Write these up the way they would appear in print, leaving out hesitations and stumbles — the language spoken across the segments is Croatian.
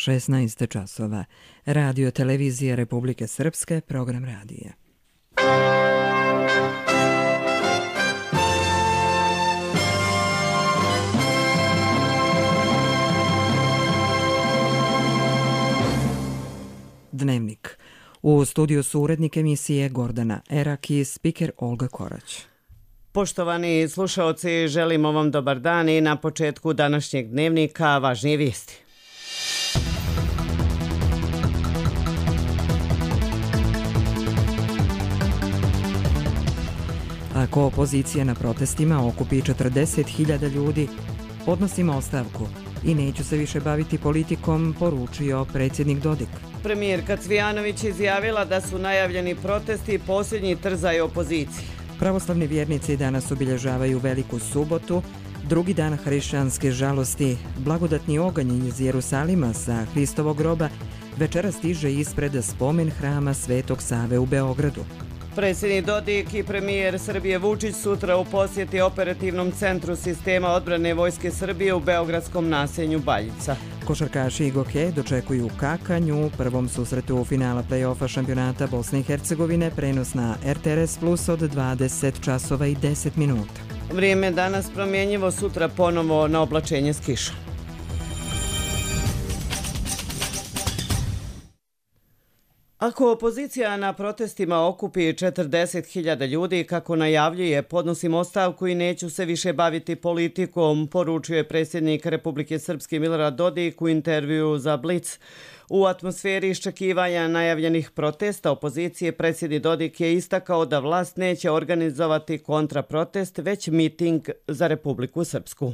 16 časova. Radio televizija Republike Srpske, program radija. Dnevnik. U studiju su urednik emisije Gordana Erak i spiker Olga Korać. Poštovani slušaoci, želimo vam dobar dan i na početku današnjeg dnevnika važnije vijesti. Ako opozicija na protestima okupi 40.000 ljudi, podnosimo ostavku i neću se više baviti politikom, poručio predsjednik Dodik. Premijerka Cvijanović izjavila da su najavljeni protesti posljednji trzaj opozicije. Pravoslavni vjernici danas obilježavaju Veliku subotu, drugi dan hrišćanske žalosti. Blagodatni oganj iz Jerusalima sa Hristovog groba večera stiže ispred spomen hrama Svetog Save u Beogradu. Predsjednik Dodik i premijer Srbije Vučić sutra u posjeti operativnom centru sistema odbrane Vojske Srbije u beogradskom naselju Baljica. Košarkaši Igoke dočekuju Kakanju u prvom susretu u finala play-offa šampionata Bosne i Hercegovine, prenos na RTRS Plus od 20 časova i 10 minuta. Vrijeme danas promjenjivo, sutra ponovo na oblačenje s kišom. Ako opozicija na protestima okupi 40.000 ljudi, kako najavljuje, podnosim ostavku i neću se više baviti politikom, poručuje predsjednik Republike Srpske Milorad Dodik u intervjuu za Blic. U atmosferi iščekivanja najavljenih protesta opozicije, predsjednik Dodik je istakao da vlast neće organizovati kontraprotest, već miting za Republiku Srpsku.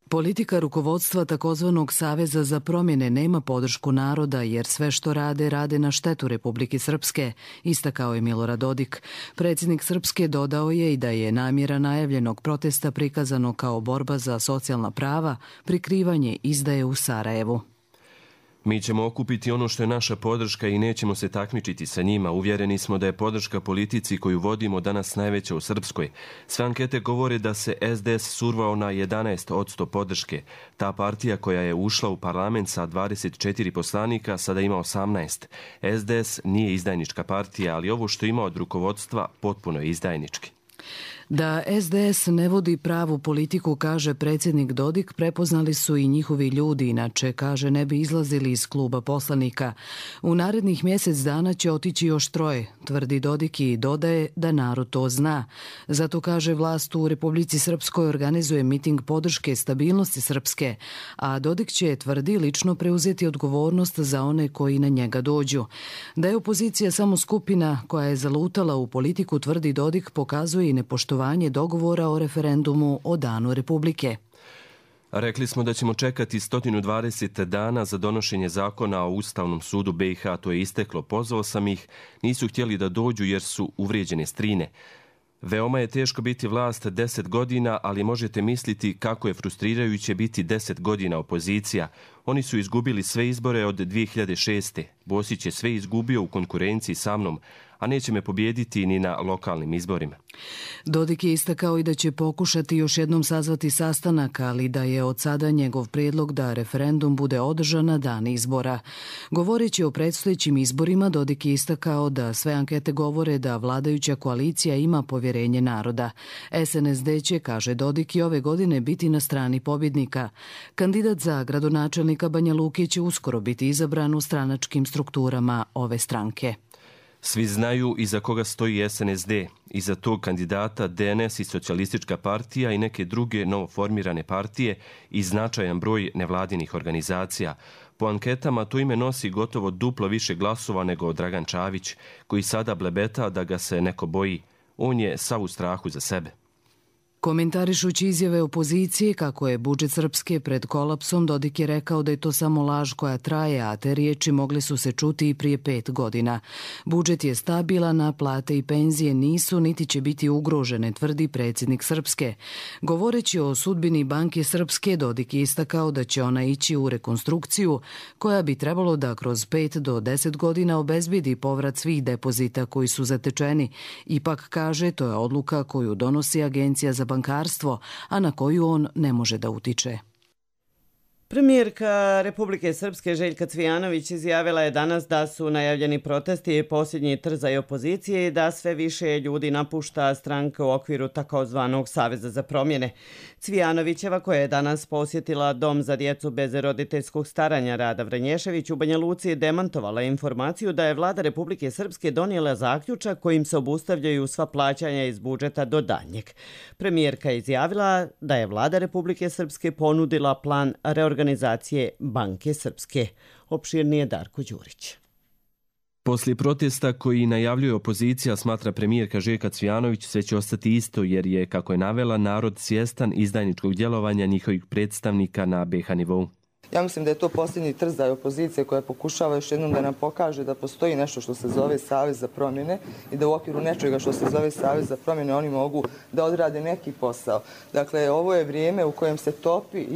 Politika rukovodstva takozvanog Saveza za promjene nema podršku naroda jer sve što rade na štetu Republike Srpske, istakao je Milorad Dodik. Predsjednik Srpske dodao je i da je namjera najavljenog protesta prikazano kao borba za socijalna prava, prikrivanje izdaje u Sarajevu. Mi ćemo okupiti ono što je naša podrška i nećemo se takmičiti sa njima. Uvjereni smo da je podrška politici koju vodimo danas najveća u Srpskoj. Sve ankete govore da se SDS survao na 11% podrške. Ta partija koja je ušla u parlament sa 24 poslanika sada ima 18. SDS nije izdajnička partija, ali ovo što ima od rukovodstva potpuno je izdajnički. Da SDS ne vodi pravu politiku, kaže predsjednik Dodik, prepoznali su i njihovi ljudi, inače, kaže, ne bi izlazili iz kluba poslanika. U narednih mjesec dana će otići još 3, tvrdi Dodik i dodaje da narod to zna. Zato, kaže, vlast u Republici Srpskoj organizuje miting podrške stabilnosti Srpske, a Dodik će, tvrdi, lično preuzeti odgovornost za one koji na njega dođu. Da je opozicija samo skupina koja je zalutala u politiku, tvrdi Dodik, pokazuje i nepoštovanje dogovora o referendumu o danu Republike. Rekli smo da ćemo čekati 120 dana za donošenje zakona o Ustavnom sudu BiH, to je isteklo. Pozvao sam ih, nisu htjeli da dođu jer su uvrijeđene strine. Veoma je teško biti vlast 10 godina, ali možete misliti kako je frustrirajuće biti 10 godina opozicija. Oni su izgubili sve izbore od 2006. Bosić je sve izgubio u konkurenciji sa mnom, a neće me pobijediti ni na lokalnim izborima. Dodik je istakao i da će pokušati još jednom sazvati sastanak, ali da je od sada njegov prijedlog da referendum bude održan na dan izbora. Govoreći o predstojećim izborima, Dodik je istakao da sve ankete govore da vladajuća koalicija ima povjerenje naroda. SNSD će, kaže Dodik, i ove godine biti na strani pobjednika. Kandidat za gradonačelnika Banja Luke će uskoro biti izabran u stranačkim strukturama ove stranke. Svi znaju iza koga stoji SNSD. Iza tog kandidata DNS i Socijalistička partija i neke druge novoformirane partije i značajan broj nevladinih organizacija. Po anketama to ime nosi gotovo duplo više glasova nego Dragan Čavić, koji sada blebeta da ga se neko boji. On je sav u strahu za sebe. Komentarišući izjave opozicije kako je budžet Srpske pred kolapsom, Dodik je rekao da je to samo laž koja traje, a te riječi mogle su se čuti i prije 5 godina. Budžet je stabilan, a plate i penzije nisu niti će biti ugrožene, tvrdi predsjednik Srpske. Govoreći o sudbini Banke Srpske, Dodik je istakao da će ona ići u rekonstrukciju koja bi trebalo da kroz 5 do 10 godina obezbedi povrat svih depozita koji su zatečeni. Ipak, kaže, to je odluka koju donosi Agencija za bankarstvo, a na koju on ne može da utiče. Premijerka Republike Srpske Željka Cvijanović izjavila je danas da su najavljeni protesti posljednji trzaj opozicije i da sve više ljudi napušta stranke u okviru takozvanog Saveza za promjene. Cvijanovićeva, koja je danas posjetila Dom za djecu bez roditeljskog staranja Rada Vranješević u Banja Luci, demantovala informaciju da je vlada Republike Srpske donijela zaključak kojim se obustavljaju sva plaćanja iz budžeta do daljnjeg. Premijerka je izjavila da je vlada Republike Srpske ponudila plan reorganizacije Banke Srpske. Opširnije Darko Đurić. Poslije protesta koji najavljuje opozicija, smatra premijerka Željka Cvijanović, sve će ostati isto jer je, kako je navela, narod svjestan izdajničkog djelovanja njihovih predstavnika na BiH nivou. Ja mislim da je to posljednji trzaj opozicije koja pokušava još jednom da nam pokaže da postoji nešto što se zove Savez za promjene i da u okviru nečega što se zove Savez za promjene oni mogu da odrade neki posao. Dakle, ovo je vrijeme u kojem se topi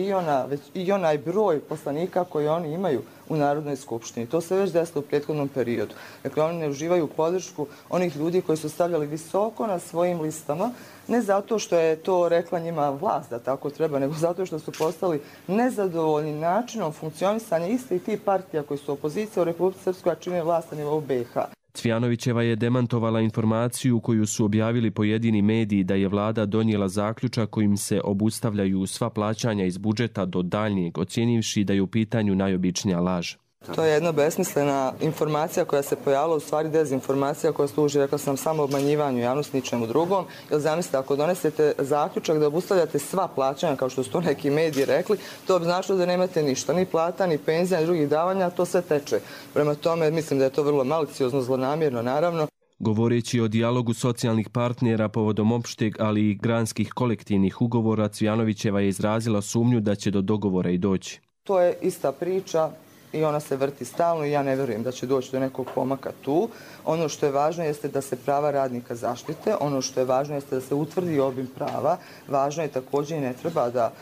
i onaj broj poslanika koji oni imaju u Narodnoj skupštini. To se već desilo u prethodnom periodu. Dakle, oni ne uživaju podršku onih ljudi koji su stavljali visoko na svojim listama, ne zato što je to rekla njima vlast da tako treba, nego zato što su postali nezadovoljni načinom funkcionisanja istih tih partija koji su opozicija u Republici Srpskoj, a čine vlast na nivou BiH. Cvijanovićeva je demantovala informaciju koju su objavili pojedini mediji da je vlada donijela zaključak kojim se obustavljaju sva plaćanja iz budžeta do daljnjeg, ocjenivši da je u pitanju najobičnija laž. To je jedna besmislena informacija koja se pojavila, u stvari dezinformacija koja služi, rekla sam, samo obmanjivanju javnosti, ničemu drugom. Jer zamislite, ako donesete zaključak da obustavljate sva plaćanja, kao što su to neki mediji rekli, to bi značilo da nemate ništa, ni plata, ni penzija, ni drugih davanja, to sve teče. Prema tome, mislim da je to vrlo maliciozno, zlonamjerno, naravno. Govoreći o dijalogu socijalnih partnera povodom opšteg, ali i granskih kolektivnih ugovora, Cvijanovićeva je izrazila sumnju da će do dogovora i doći. To je ista priča i ona se vrti stalno i ja ne vjerujem da će doći do nekog pomaka tu. Ono što je važno jeste da se prava radnika zaštite, ono što je važno jeste da se utvrdi obim prava, važno je također i ne treba da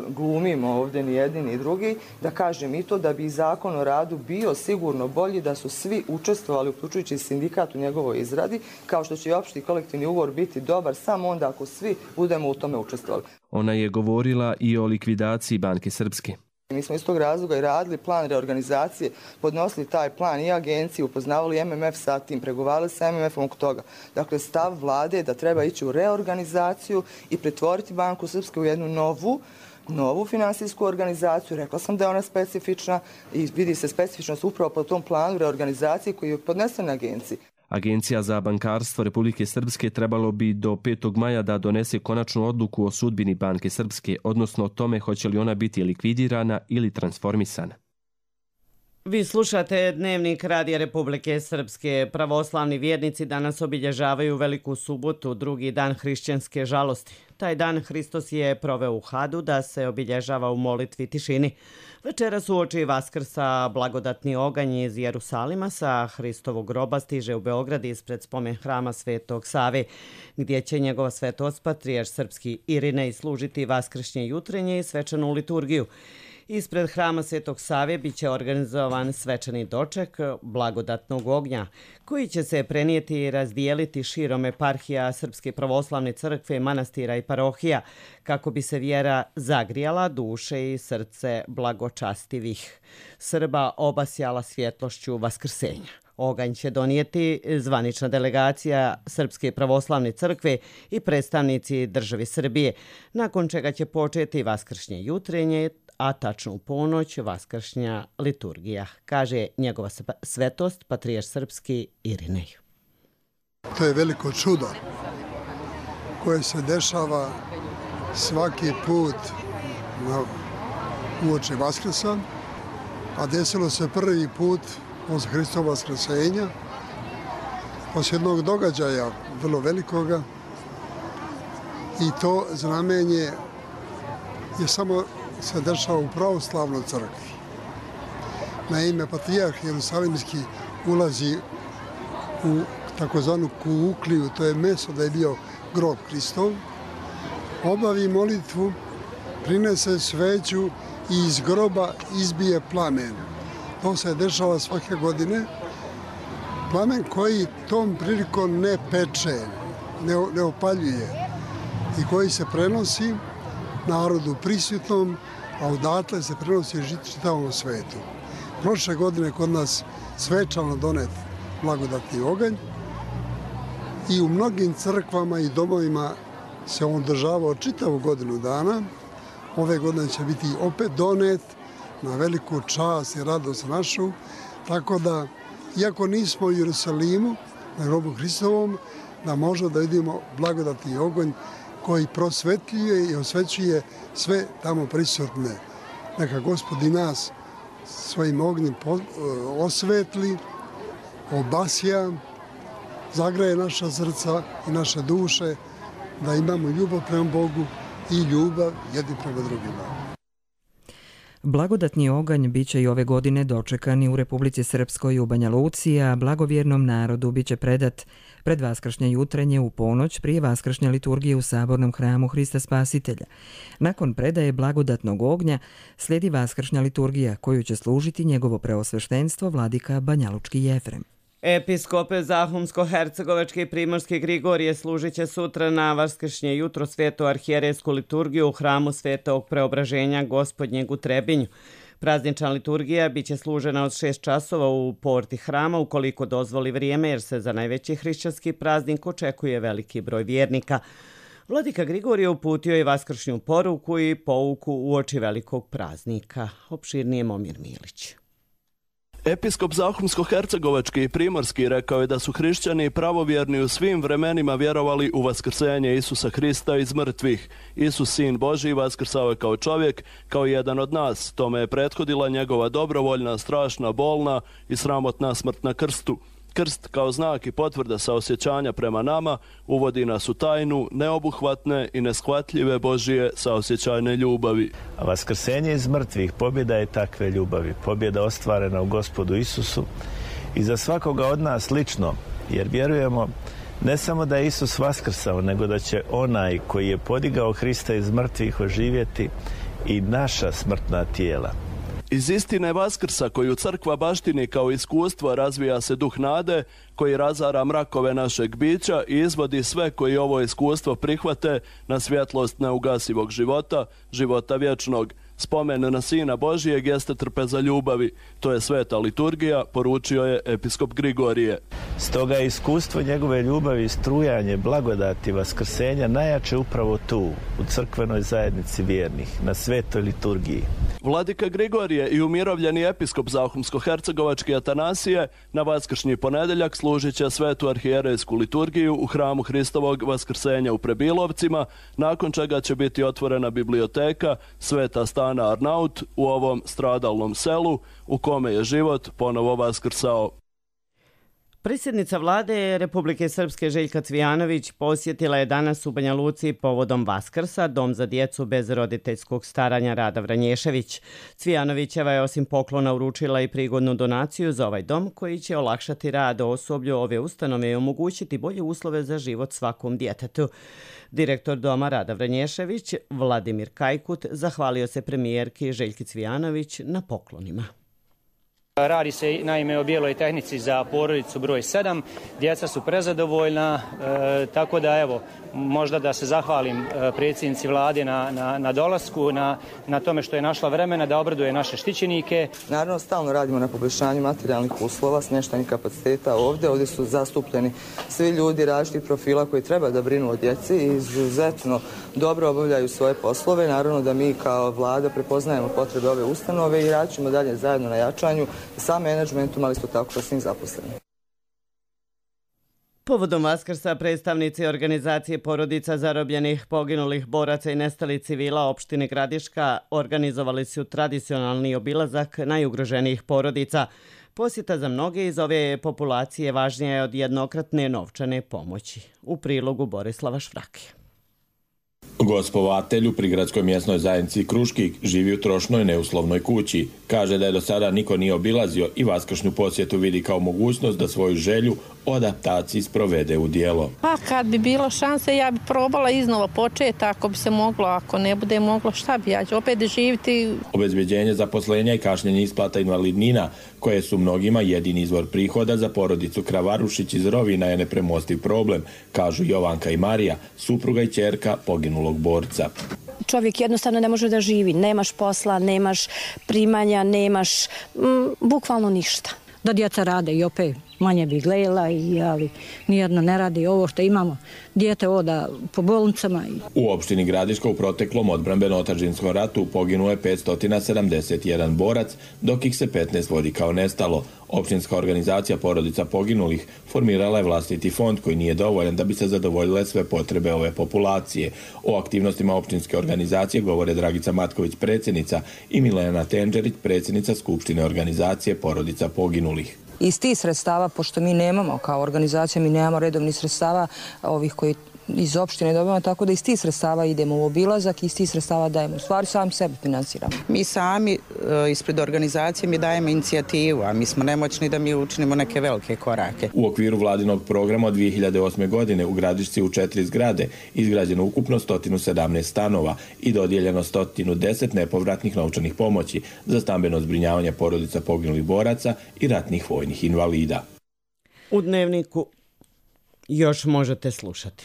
glumimo ovdje ni jedni ni drugi, da kažem i to da bi zakon o radu bio sigurno bolji da su svi učestvovali, uključujući sindikat u njegovoj izradi, kao što će i opšti kolektivni ugovor biti dobar samo onda ako svi budemo u tome učestvovali. Ona je govorila i o likvidaciji Banke Srpske. Mi smo iz tog razloga i radili plan reorganizacije, podnosili taj plan i agenciji, upoznavali MMF sa tim, pregovarali sa MMF-om oko toga. Dakle, stav vlade je da treba ići u reorganizaciju i pretvoriti Banku Srpske u jednu novu finansijsku organizaciju. Rekla sam da je ona specifična i vidi se specifičnost upravo po tom planu reorganizacije koji je podnesen na agenciji. Agencija za bankarstvo Republike Srpske trebalo bi do 5. maja da donese konačnu odluku o sudbini Banke Srpske, odnosno o tome hoće li ona biti likvidirana ili transformisana. Vi slušate Dnevnik Radija Republike Srpske. Pravoslavni vjernici danas obilježavaju Veliku subotu, drugi dan hrišćanske žalosti. Taj dan Hristos je proveo u Hadu da se obilježava u molitvi tišini. Večeras uoči Vaskrsa blagodatni oganj iz Jerusalima sa Hristovog groba stiže u Beograd ispred spomen hrama Svetog Save, gdje će njegova svetost patrijarh srpski Irinej služiti vaskršnje jutrenje i svečanu liturgiju. Ispred hrama Svetog Save biće organizovan svečani doček blagodatnog ognja, koji će se prenijeti i razdijeliti širom eparhija Srpske pravoslavne crkve, manastira i parohija, kako bi se vjera zagrijala duše i srce blagočastivih Srba obasjala svjetlošću vaskrsenja. Oganj će donijeti zvanična delegacija Srpske pravoslavne crkve i predstavnici države Srbije, nakon čega će početi vaskršnje jutrenje, a tačno u ponoć vaskršnja liturgija, kaže njegova svetost patrijarh srpski Irinej. To je veliko čudo koje se dešava svaki put uoči Vaskrsa, a desilo se prvi put posle Hristova vaskrsenja, posle jednog događaja vrlo velikoga, i to znamenje je samo se dešava u pravoslavnoj crkvi. Naime, patrijarh Jerusalimski ulazi u takozvanu kuukliju, to je mjesto da je bio grob Hristov, obavi molitvu, prinese sveću i iz groba izbije plamen. To se dešava svake godine. Plamen koji tom prilikom ne peče, ne opaljuje i koji se prenosi narodu prisutnom a odatle se prenosi čitavom svetu. Prošle godine kod nas svečano donet blagodatni oganj i u mnogim crkvama i domovima se on održavao čitavu godinu dana. Ove godine će biti opet donet na veliku čast i radost našu, tako da, iako nismo u Jerusalimu, na grobu Hristovom, da možemo da vidimo blagodatni oganj koji prosvetljuje i osvećuje sve tamo prisutne. Neka Gospod i nas svojim ognjem osvetli, obasja, zagraje naša srca i naše duše, da imamo ljubav prema Bogu i ljubav jedni prema drugima. Blagodatni oganj biće i ove godine dočekani u Republici Srpskoj u Banja Luci, a blagovjernom narodu biće predat pred vaskršnje jutrenje u ponoć prije vaskršnje liturgije u Sabornom hramu Hrista Spasitelja. Nakon predaje blagodatnog ognja slijedi vaskršnja liturgija koju će služiti njegovo preosveštenstvo vladika Banjalučki Jefrem. Episkop Zahumsko-Hercegovački i Primorski Grigorije služit će sutra na vaskršnje jutro svetu arhijerejsku liturgiju u hramu Svetog Preobraženja Gospodnjeg u Trebinju. Praznična liturgija biće služena od 6 časova u porti hrama ukoliko dozvoli vrijeme, jer se za najveći hrišćanski praznik očekuje veliki broj vjernika. Vladika Grigorije uputio je vaskršnju poruku i pouku uoči velikog praznika. Opširnije Momir Milić. Episkop Zahumsko-Hercegovački i Primorski rekao je da su hrišćani pravovjerni u svim vremenima vjerovali u vaskrsenje Isusa Hrista iz mrtvih. Isus, sin Božji, vaskrsao je kao čovjek, kao jedan od nas. Tome je prethodila njegova dobrovoljna, strašna, bolna i sramotna smrt na krstu. Krst kao znak i potvrda saosjećanja prema nama uvodi nas u tajnu neobuhvatne i neshvatljive Božije saosjećajne ljubavi. A vaskrsenje iz mrtvih pobjeda je takve ljubavi. Pobjeda ostvarena u Gospodu Isusu i za svakoga od nas lično, jer vjerujemo ne samo da je Isus vaskrsao, nego da će onaj koji je podigao Hrista iz mrtvih oživjeti i naša smrtna tijela. Iz istine Vaskrsa koju crkva baštini kao iskustvo razvija se duh nade koji razara mrakove našeg bića i izvodi sve koji ovo iskustvo prihvate na svjetlost neugasivog života, života vječnog. Spomen na Sina Božijeg jeste trpeza ljubavi. To je sveta liturgija, poručio je episkop Grigorije. Stoga je iskustvo njegove ljubavi i strujanje blagodati vaskrsenja najjače upravo tu, u crkvenoj zajednici vjernih, na svetoj liturgiji. Vladika Grigorije i umirovljeni episkop Zahumsko-Hercegovački Atanasije na vaskršnji ponedjeljak služit će svetu arhijerejsku liturgiju u hramu Hristovog vaskrsenja u Prebilovcima, nakon čega će biti otvorena biblioteka Sveta Stana Arnaut u ovom stradalnom selu u kome je život ponovo vaskrsao. Predsjednica vlade Republike Srpske Željka Cvijanović posjetila je danas u Banja Luci povodom Vaskrsa Dom za djecu bez roditeljskog staranja Rada Vranješević. Cvijanovićeva je osim poklona uručila i prigodnu donaciju za ovaj dom koji će olakšati rad osoblju ove ustanove i omogućiti bolje uslove za život svakom djetetu. Direktor doma Rada Vranješević, Vladimir Kajkut, zahvalio se premijerki Željki Cvijanović na poklonima. Radi se naime o bijeloj tehnici za porodicu broj 7. Djeca su prezadovoljna, tako da evo, možda da se zahvalim predsjednici vlade na dolasku, na tome što je našla vremena da obraduje naše štićenike. Naravno, stalno radimo na poboljšanju materijalnih uslova, smještajnih kapaciteta ovdje. Ovdje su zastupljeni svi ljudi različitih profila koji treba da brinu o djeci i izuzetno dobro obavljaju svoje poslove. Naravno da mi kao vlada prepoznajemo potrebe ove ustanove i radit ćemo dalje zajedno na jačanju sa menadžmentom, ali isto tako sa svim zaposlenim. Povodom Vaskrsa predstavnici organizacije porodica zarobljenih, poginulih boraca i nestalih civila opštine Gradiška organizovali su tradicionalni obilazak najugroženijih porodica. Posjeta za mnoge iz ove populacije važnija je od jednokratne novčane pomoći. U prilogu Borislava Švrake. Gospovatelj u prigradskoj mjesnoj zajednici Kruškik živi u trošnoj neuslovnoj kući. Kaže da je do sada niko nije obilazio i vaskršnju posjetu vidi kao mogućnost da svoju želju o adaptaciji sprovede u djelo. Pa kad bi bilo šanse ja bi probala iznova početi, ako bi se moglo, ako ne bude moglo šta bi ja ću opet živjeti. Obezbeđenje zaposlenja i kašnjenje isplata invalidnina, koje su mnogima jedini izvor prihoda za porodicu Kravarušić iz Rovina, je nepremostiv problem, kažu Jovanka i Marija, supruga i ćerka poginulog borca. čovjek jednostavno ne može da živi. Nemaš posla, nemaš primanja, nemaš bukvalno ništa. Da djeca rade i opet manje bi gledala, ali nijedno ne radi ovo što imamo. Dijete oda po bolnicama. U opštini Gradiška u proteklom odbrambeno-otadžbinskom ratu poginuo je 571 borac, dok ih se 15 vodi kao nestalo. Opštinska organizacija porodica poginulih formirala je vlastiti fond koji nije dovoljan da bi se zadovoljile sve potrebe ove populacije. O aktivnostima opštinske organizacije govore Dragica Matković, predsjednica, i Milena Tenđerić, predsjednica Skupštine organizacije porodica poginulih. Iz tih sredstava, pošto mi nemamo kao organizacija, mi nemamo redovnih sredstava ovih koji iz opštine dobijamo, tako da iz tih sredstava idemo u obilazak i iz tih sredstava dajemo. U stvari sami sebe financiramo. Mi sami ispred organizacije mi dajemo inicijativu, a mi smo nemoćni da mi učinimo neke velike korake. U okviru vladinog programa od 2008. godine u Gradišci u 4 zgrade izgrađeno ukupno 117 stanova i dodijeljeno 110 nepovratnih novčanih pomoći za stambeno zbrinjavanje porodica poginulih boraca i ratnih vojnih invalida. U Dnevniku još možete slušati.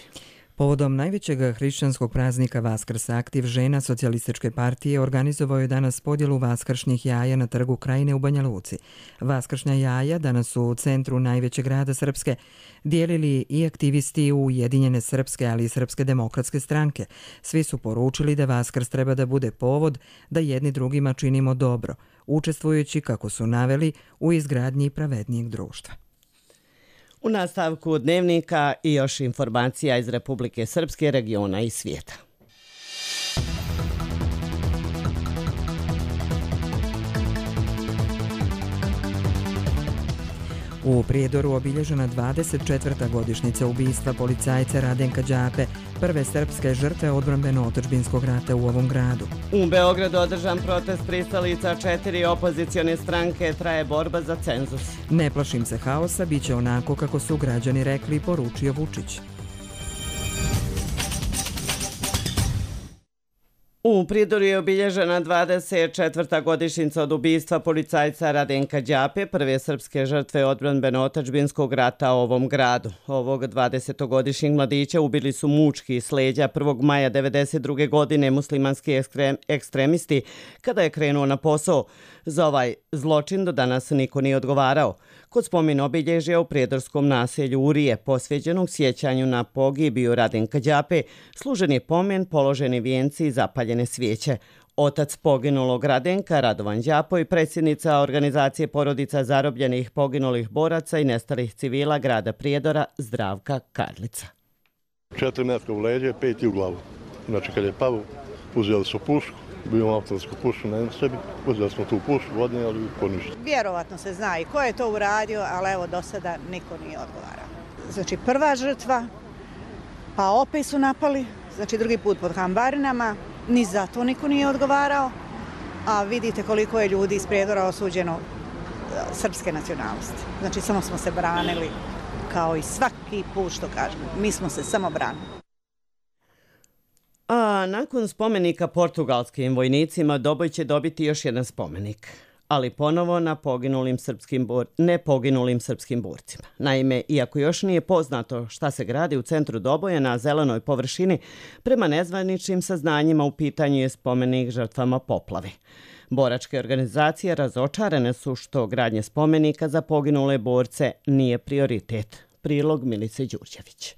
Povodom najvećeg hrišćanskog praznika Vaskrsa, aktiv žena Socijalističke partije organizovao je danas podjelu vaskršnjih jaja na trgu Krajine u Banja Luci. Vaskršnja jaja danas su u centru najvećeg grada Srpske dijelili i aktivisti Ujedinjene Srpske, ali i Srpske demokratske stranke. Svi su poručili da Vaskrs treba da bude povod da jedni drugima činimo dobro, učestvujući, kako su naveli, u izgradnji pravednijeg društva. U nastavku Dnevnika i još informacija iz Republike Srpske, regiona i svijeta. U Prijedoru obilježena 24. godišnjica ubistva policajca Radenka Đape, prve srpske žrtve odbrambeno-otadžbinskog rata u ovom gradu. U Beogradu održan protest pristalica 4 opozicione stranke, traje borba za cenzus. Ne plašim se haosa, bit će onako kako su građani rekli, poručio Vučić. U Prijedoru je obilježena 24. godišnjica od ubistva policajca Radenka Đape, prve srpske žrtve odbrambeno-otadžbinskog rata u ovom gradu. Ovog 20-godišnjeg mladića ubili su mučki s leđa 1. maja 1992. godine muslimanski ekstremisti kada je krenuo na posao. Za ovaj zločin do danas niko nije odgovarao. Kod spomen obilježja u prijedorskom naselju Urije, posveđenog sjećanju na pogibiju Radenka Đape, služen je pomen, položeni vijenci i zapaljene svijeće. Otac poginulog Radenka, Radovan Đapo, i predsjednica organizacije porodica zarobljenih poginulih boraca i nestalih civila grada Prijedora, Zdravka Karlica. 4 metka u leđe, 5 u glavu. Znači kad je pao, uzeli su pušku. Bio autorsku pušku na sebi, uzeli smo tu pušku, vodne, ali ko ništa. Vjerovatno se zna i ko je to uradio, ali evo do sada niko nije odgovarao. Znači prva žrtva, pa opet su napali, znači drugi put pod Hambarinama, ni za to niko nije odgovarao, a vidite koliko je ljudi iz Prijedora osuđeno srpske nacionalnosti. Znači samo smo se branili, kao i svaki put što kažemo, mi smo se samo branili. A nakon spomenika portugalskim vojnicima Doboj će dobiti još jedan spomenik, ali ponovo na nepoginulim srpskim borcima. Naime, iako još nije poznato šta se gradi u centru Doboja na zelenoj površini, prema nezvaničnim saznanjima u pitanju je spomenik žrtvama poplave. Boračke organizacije razočarane su što gradnje spomenika za poginule borce nije prioritet. Prilog Milice Đurđević.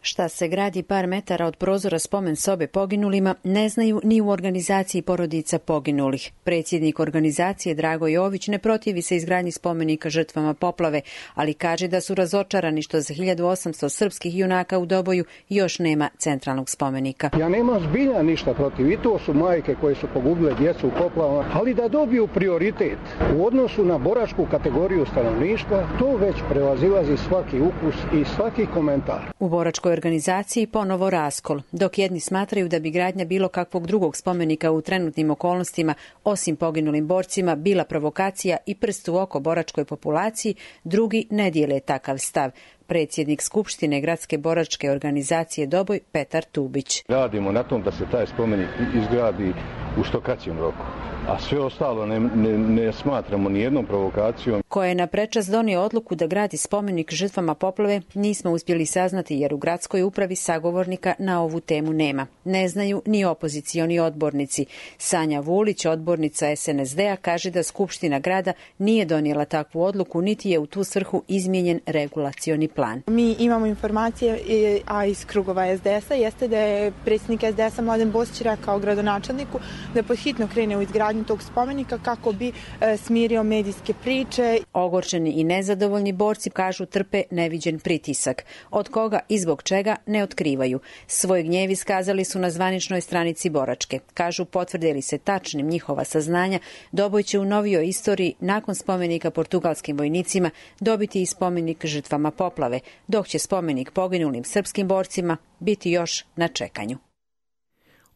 Šta se gradi par metara od prozora spomen sobe poginulima ne znaju ni u organizaciji porodica poginulih. Predsjednik organizacije Drago Jović ne protivi se izgradnji spomenika žrtvama poplave, ali kaže da su razočarani što za 1800 srpskih junaka u Doboju još nema centralnog spomenika. Ja nemam zbilja ništa protiv, i to su majke koje su pogubile djecu u poplavama, ali da dobiju prioritet u odnosu na boračku kategoriju stanovništva, to već prevazilazi svaki ukus i svaki komentar. U boračkoj organizaciji ponovo raskol, dok jedni smatraju da bi gradnja bilo kakvog drugog spomenika u trenutnim okolnostima, osim poginulim borcima, bila provokacija i prst u oko boračkoj populaciji, drugi ne dijele takav stav. Predsjednik Skupštine Gradske boračke organizacije Doboj, Petar Tubić. Radimo na tom da se taj spomenik izgradi u što kraćem roku, a sve ostalo ne smatramo ni jednom provokacijom. Ko je na prečas donio odluku da gradi spomenik žrtvama poplave, nismo uspjeli saznati jer u gradskoj upravi sagovornika na ovu temu nema. Ne znaju ni opozicioni odbornici. Sanja Vulić, odbornica SNSD-a, kaže da Skupština grada nije donijela takvu odluku, niti je u tu svrhu izmijenjen regulacioni plan. Mi imamo informacije, a iz krugova SDS-a, jeste da je predsjednik SDS-a Mladen Bosić rekao gradonačelniku da podhitno krene u izgradnju tog spomenika kako bi smirio medijske priče. Ogorčeni i nezadovoljni borci, kažu, trpe neviđen pritisak. Od koga i zbog čega ne otkrivaju. Svoj gnjev iskazali su na zvaničnoj stranici boračke. Kažu, potvrde li se tačnim njihova saznanja, Doboj će u novijoj istoriji nakon spomenika portugalskim vojnicima dobiti i spomenik žrtvama poplave, dok će spomenik poginulim srpskim borcima biti još na čekanju.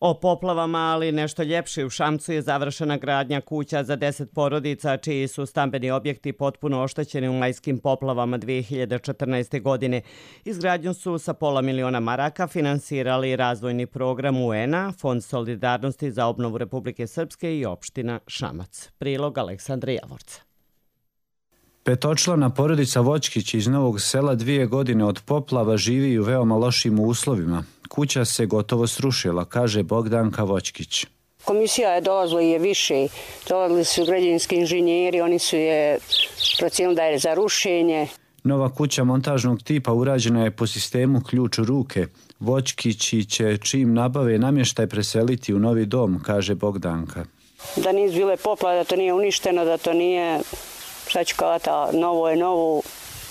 O poplavama, ali nešto ljepše, u Šamcu je završena gradnja kuća za 10 porodica čiji su stambeni objekti potpuno oštećeni u majskim poplavama 2014. godine. Izgradnju su sa $500.000 maraka finansirali razvojni program UN-a, Fond solidarnosti za obnovu Republike Srpske i opština Šamac. Prilog Aleksandra Javorca. Petočlana porodica Voćkić iz Novog Sela 2 godine od poplava živi u veoma lošim uslovima. Kuća se gotovo srušila, kaže Bogdanka Voćkić. Komisija je dolazila i je više. Dolazili su građevinski inženjeri, oni su je procijenili da je za rušenje. Nova kuća montažnog tipa urađena je po sistemu ključ u ruke. Voćkići će čim nabave namještaj preseliti u novi dom, kaže Bogdanka. Da nisu bile poplave, da to nije uništeno, da to nije... Šta ću kavati, novo je novo,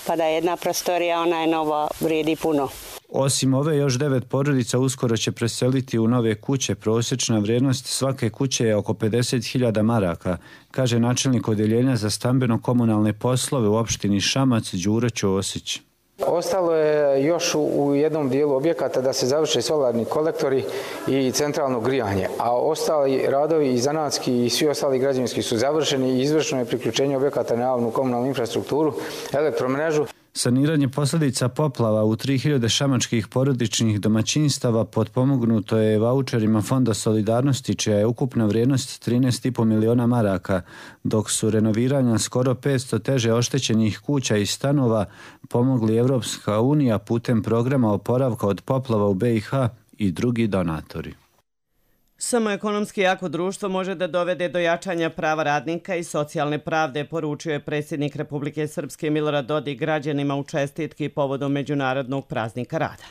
pa da je jedna prostorija, ona je nova, vrijedi puno. Osim ove, još 9 porodica uskoro će preseliti u nove kuće. Prosječna vrijednost svake kuće je oko 50.000 maraka, kaže načelnik odjeljenja za stambeno-komunalne poslove u opštini Šamac Đuro Ćosić. Ostalo je još u jednom dijelu objekata da se završe solarni kolektori i centralno grijanje, a ostali radovi i zanatski i svi ostali građevinski su završeni i izvršeno je priključenje objekata na javnu komunalnu infrastrukturu, elektromrežu. Saniranje posljedica poplava u 3000 šamačkih porodičnih domaćinstava potpomognuto je vaučerima Fonda solidarnosti, čija je ukupna vrijednost 13,5 miliona maraka, dok su renoviranja skoro 500 teže oštećenih kuća i stanova pomogli Evropska unija putem programa oporavka od poplava u BiH i drugi donatori. Samo ekonomski jako društvo može da dovede do jačanja prava radnika i socijalne pravde, poručio je predsjednik Republike Srpske Milorad Dodik građanima u čestitki povodom Međunarodnog praznika rada.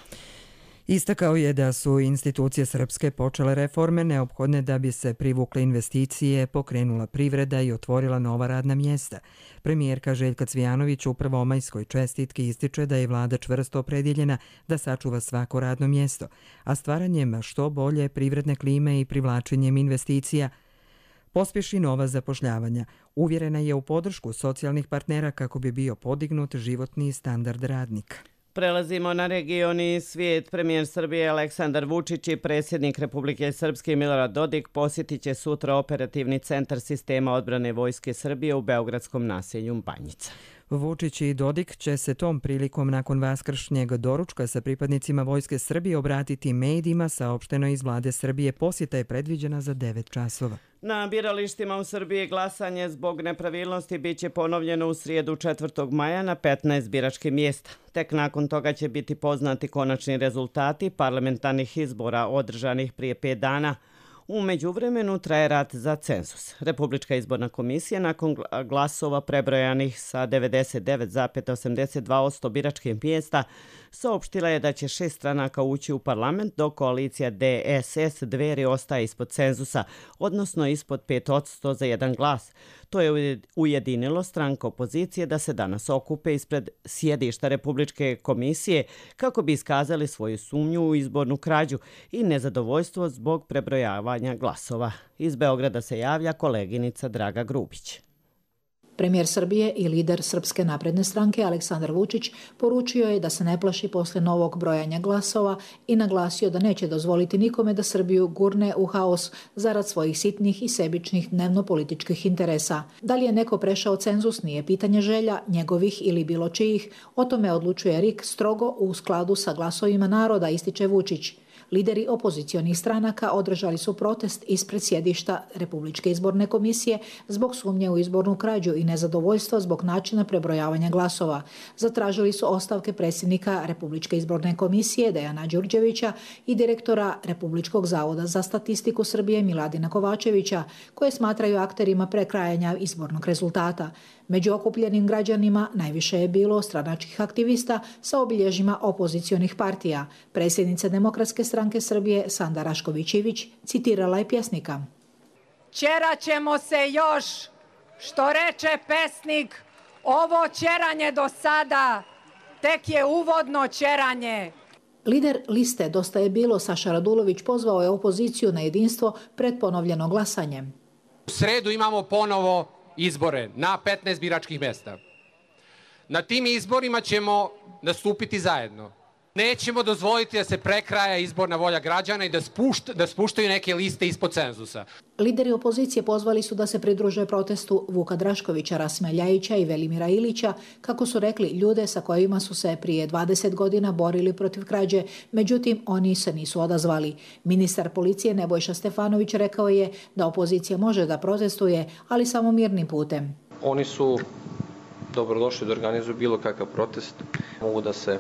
Istakao je da su institucije srpske počele reforme neophodne da bi se privukle investicije, pokrenula privreda i otvorila nova radna mjesta. Premijerka Željka Cvijanović u prvomajskoj čestitki ističe da je vlada čvrsto opredjeljena da sačuva svako radno mjesto, a stvaranjem što bolje privredne klime i privlačenjem investicija pospješi nova zapošljavanja. Uvjerena je u podršku socijalnih partnera kako bi bio podignut životni standard radnika. Prelazimo na region i svijet. Premijer Srbije Aleksandar Vučić i predsjednik Republike Srpske Milorad Dodik posjetit će sutra operativni centar sistema odbrane Vojske Srbije u beogradskom naselju Banjica. Vučić i Dodik će se tom prilikom nakon vaskršnjeg doručka sa pripadnicima Vojske Srbije obratiti medijima, saopšteno iz vlade Srbije. Posjeta je predviđena za 9 časova. Na biralištima u Srbiji glasanje zbog nepravilnosti biće ponovljeno u srijedu 4. maja na 15 biračkih mjesta. Tek nakon toga će biti poznati konačni rezultati parlamentarnih izbora održanih prije 5 dana. U međuvremenu traje rat za cenzus. Republička izborna komisija nakon glasova prebrojanih sa 99,82% biračkih mjesta saopštila je da će 6 stranaka ući u parlament, dok koalicija DSS Dveri ostaje ispod cenzusa, odnosno ispod 5% za jedan glas. To je ujedinilo stranka opozicije da se danas okupe ispred sjedišta Republičke komisije kako bi iskazali svoju sumnju u izbornu krađu i nezadovoljstvo zbog prebrojavanja glasova. Iz Beograda se javlja koleginica Draga Grubić. Premijer Srbije i lider Srpske napredne stranke Aleksandar Vučić poručio je da se ne plaši posle novog brojanja glasova i naglasio da neće dozvoliti nikome da Srbiju gurne u haos zarad svojih sitnih i sebičnih dnevno-političkih interesa. Da li je neko prešao cenzus nije pitanje želja, njegovih ili bilo čijih, o tome odlučuje RIK strogo u skladu sa glasovima naroda, ističe Vučić. Lideri opozicionih stranaka održali su protest ispred sjedišta Republičke izborne komisije zbog sumnje u izbornu krađu i nezadovoljstva zbog načina prebrojavanja glasova. Zatražili su ostavke predsjednika Republičke izborne komisije Dejana Đurđevića i direktora Republičkog zavoda za statistiku Srbije Miladina Kovačevića, koje smatraju akterima prekrajanja izbornog rezultata. Među okupljenim građanima najviše je bilo stranačkih aktivista sa obilježjima opozicionih partija. Predsjednica Demokratske stranke Srbije Sanda Rašković-Ivić citirala je pjesnika. Ćerat ćemo se još, što reče pesnik, ovo ćeranje do sada tek je uvodno ćeranje. Lider liste Dosta je bilo Saša Radulović pozvao je opoziciju na jedinstvo pred ponovljeno glasanje. U sredu imamo ponovo izbore na 15 biračkih mjesta. Na tim izborima ćemo nastupiti zajedno. Nećemo dozvoliti da se prekraja izborna volja građana i da spuštaju neke liste ispod cenzusa. Lideri opozicije pozvali su da se pridruže protestu Vuka Draškovića, Rasima Ljajića i Velimira Ilića, kako su rekli, ljude sa kojima su se prije 20 godina borili protiv krađe, međutim oni se nisu odazvali. Ministar policije Nebojša Stefanović rekao je da opozicija može da protestuje, ali samo mirnim putem. Oni su dobrodošli da organizuju bilo kakav protest, mogu da se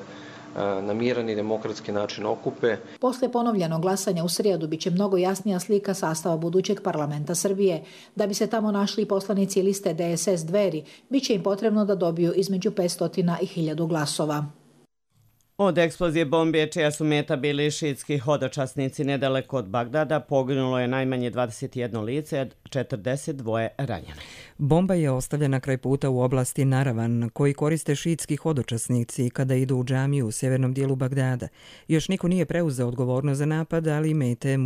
na miran i demokratski način okupe. Posle ponovljenog glasanja u srijedu biće mnogo jasnija slika sastava budućeg parlamenta Srbije. Da bi se tamo našli poslanici liste DSS Dveri, biće im potrebno da dobiju između 500 i 1000 glasova. Od eksplozije bombe, čija su meta bili šiitski hodočasnici nedaleko od Bagdada, poginulo je najmanje 21 lice, 42 ranjene. Bomba je ostavljena kraj puta u oblasti Naravan, koji koriste šiitski hodočasnici kada idu u džamiju u sjevernom dijelu Bagdada. Još niko nije preuzeo odgovornost za napad, ali mete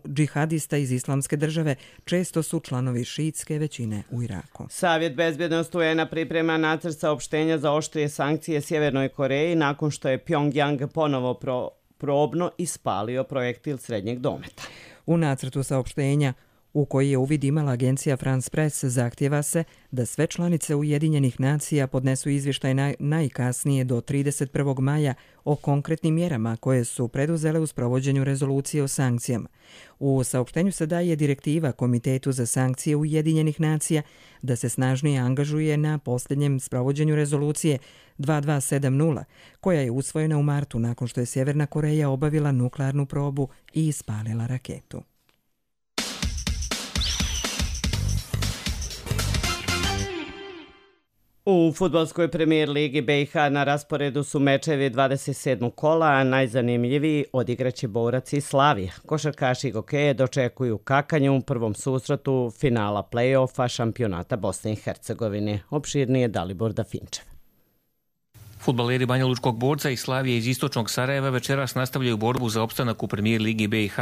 džihadista iz Islamske države često su članovi šiitske većine u Iraku. Savjet bezbjednosti UN-a priprema nacrt saopštenja za oštrije sankcije Sjevernoj Koreji nakon što je Pyongyang ponovo probno ispalio projektil srednjeg dometa. U nacrtu saopštenja, u koji je uvid imala agencija France Press, zahtjeva se da sve članice Ujedinjenih nacija podnesu izvještaj najkasnije do 31. maja o konkretnim mjerama koje su preduzele u sprovođenju rezolucije o sankcijama. U saopštenju se daje direktiva Komitetu za sankcije Ujedinjenih nacija da se snažnije angažuje na posljednjem sprovođenju rezolucije 2270, koja je usvojena u martu nakon što je Sjeverna Koreja obavila nuklearnu probu i ispalila raketu. U fudbalskoj premijer ligi BiH na rasporedu su mečevi 27. kola, a najzanimljiviji odigraće Borac i Slavija. Košarkaši Gokeje dočekuju kakanju u prvom susretu finala play-offa šampionata Bosne i Hercegovine. Opširnije Dalibor Dafinčev. Fudbaleri Banja Lučkog Borca i Slavije iz istočnog Sarajeva večeras nastavljaju borbu za opstanak u premijer ligi BiH.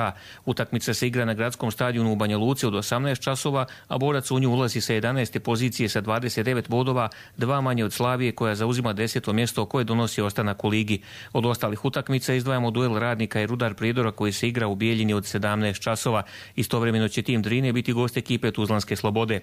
Utakmica se igra na gradskom stadionu u Banja Luci od 18 časova, a Borac u nju ulazi sa 11. pozicije sa 29 bodova, 2 manje od Slavije koja zauzima 10. mjesto koje donosi ostanak u ligi. Od ostalih utakmica izdvajamo duel Radnika i Rudar Prijedora koji se igra u Bijeljini od 17 časova. Istovremeno će tim Drine biti gost ekipe Tuzlanske Slobode.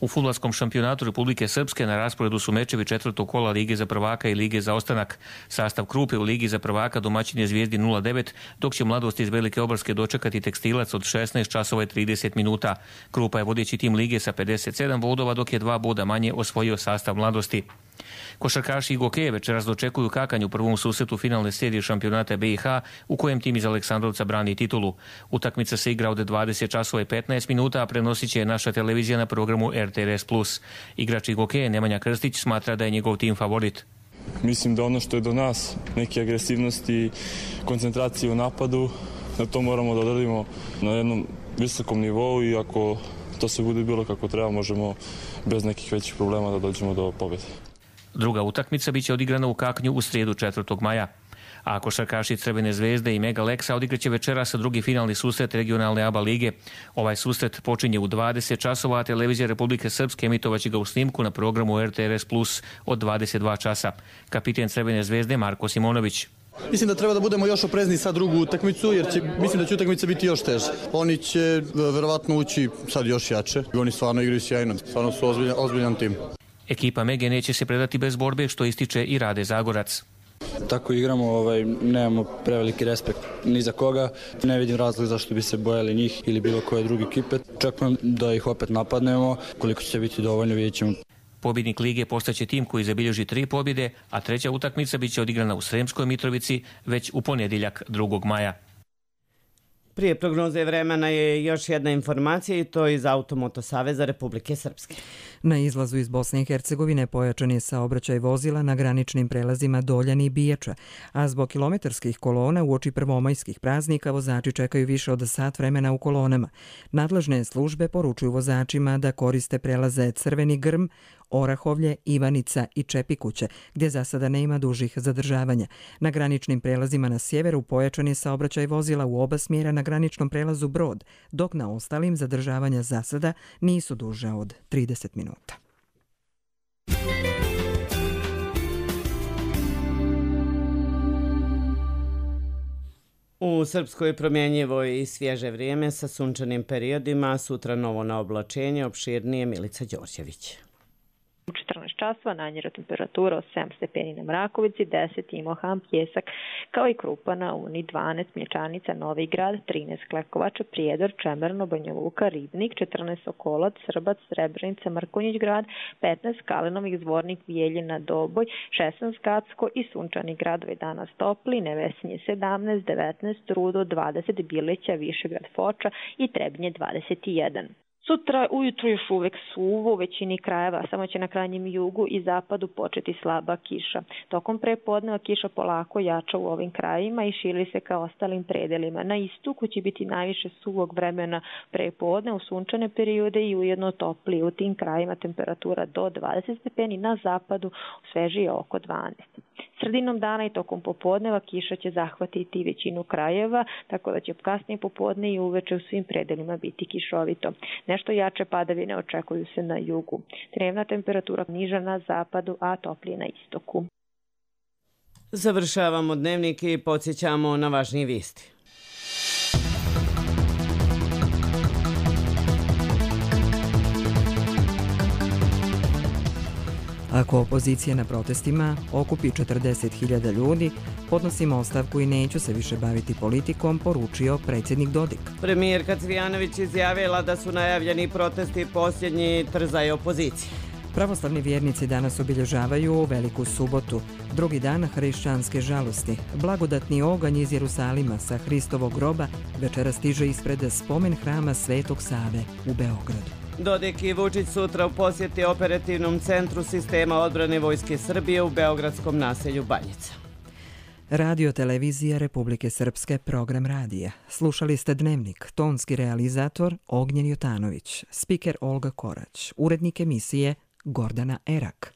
U fudbalskom šampionatu Republike Srpske na rasporedu su mečevi 4. kola Lige za prvaka i Lige za ostanak. Sastav Krupe u Ligi za prvaka domaćin je Zvijezdi 0-9, dok će Mladost iz Velike Obarske dočekati Tekstilac od 16 časova i 30 minuta. Krupa je vodeći tim Lige sa 57 bodova, dok je 2 boda manje osvojio sastav Mladosti. Košarkaši i Gokeje večeras dočekuju kakanj u prvom susretu finalne serije šampionata BiH u kojem tim iz Aleksandrovca brani titulu. Utakmica se igra od 20 časova i 15 minuta, a prenosit će naša televizija na programu RTRS+. Igrač Gokeje Nemanja Krstić smatra da je njegov tim favorit. Mislim da ono što je do nas, neke agresivnosti i koncentracije u napadu, da to moramo da odradimo na jednom visokom nivou i ako to se bude bilo kako treba, možemo bez nekih većih problema da dođemo do pobjede. Druga utakmica biće odigrana u Kaknju u srijedu 4. maja. A košarkaši Crvene zvezde i Mega Leksa odigraće večeras drugi finalni susret regionalne ABA lige. Ovaj susret počinje u 20 časova, a televizija Republike Srpske emitovaće ga u snimku na programu RTRS Plus od 22 časa. Kapiten Crvene zvezde Marko Simonović. Mislim da treba da budemo još oprezni sa drugu utakmicu, jer mislim da će utakmica biti još teža. Oni će verovatno ući sad još jače. Oni stvarno igraju sjajno, stvarno su ozbiljan tim. Ekipa Mege neće se predati bez borbe, što ističe i Rade Zagorac. Tako igramo, nemamo preveliki respekt ni za koga. Ne vidim razlog zašto bi se bojali njih ili bilo koje druge ekipe. Čekam da ih opet napadnemo, koliko će biti dovoljno, vidjet ćemo. Pobjednik lige postaće tim koji zabilježi 3 pobjede, a treća utakmica biće odigrana u Sremskoj Mitrovici već u ponedjeljak 2. maja. Prije prognoze vremena je još jedna informacija i to iz Automoto Saveza Republike Srpske. Na izlazu iz Bosne i Hercegovine pojačan je saobraćaj vozila na graničnim prelazima Doljan i Biječa, a zbog kilometarskih kolona uoči prvomajskih praznika vozači čekaju više od sat vremena u kolonama. Nadležne službe poručuju vozačima da koriste prelaze Crveni Grm, Orahovlje, Ivanica i Čepikuće, gdje za sada nema dužih zadržavanja. Na graničnim prelazima na sjeveru pojačan je saobraćaj vozila u oba smjera na graničnom prelazu Brod, dok na ostalim zadržavanja za sada nisu duža od 30 minuta. U Srpskoj promjenjivo i svježe vrijeme sa sunčanim periodima, sutra novo na oblačenje, opširnije Milica Đorđević. U 14 časova najniža temperatura od 7 stepeni na Mrakovici, 10 Imohan, Pjesak, kao i Krupa na Uni, 12 Mlječanica, Novi Grad, 13 Klekovača, Prijedor, Čemerno, Banja Luka, Ribnik, 14 Sokolac, Srbac, Srebrenica, Mrkonjić Grad, 15 Kalinovik, Zvornik, Bijeljina, Doboj, 16 Gacko i sunčani gradovi danas topli, Nevesinje 17, 19 Rudo, 20 Bileća, Višegrad, Foča i Trebnje 21. Sutra ujutru još uvek suvo u većini krajeva, samo će na krajnjem jugu i zapadu početi slaba kiša. Tokom prepodneva kiša polako jača u ovim krajevima i širi se ka ostalim predelima. Na istoku će biti najviše suvog vremena prepodne u sunčane periode i ujedno toplije. U tim krajevima temperatura do 20 stepeni, na zapadu svežije oko 12. Sredinom dana i tokom popodneva kiša će zahvatiti većinu krajeva, tako da će kasnije popodne i uveče u svim predelima biti kišovito. Nešto jače padavine očekuju se na jugu. Dnevna temperatura niža na zapadu, a toplije na istoku. Završavamo dnevnik i podsjećamo na važnije vijesti. Ako opozicija na protestima okupi 40.000 ljudi, podnosimo ostavku i neću se više baviti politikom, poručio predsjednik Dodik. Premijerka Cvijanović izjavila da su najavljeni protesti posljednji trzaj opozicije. Pravoslavni vjernici danas obilježavaju Veliku subotu, drugi dan hrišćanske žalosti. Blagodatni oganj iz Jerusalima sa Hristovog groba večera stiže ispred spomen hrama Svetog Save u Beogradu. Dodik i Vučić sutra u posjeti operativnom centru sistema odbrane Vojske Srbije u beogradskom naselju Banjica. Radio televizija Republike Srpske, program radija. Slušali ste Dnevnik, tonski realizator Ognjen Jotanović, spiker Olga Korać, urednik emisije Gordana Erak.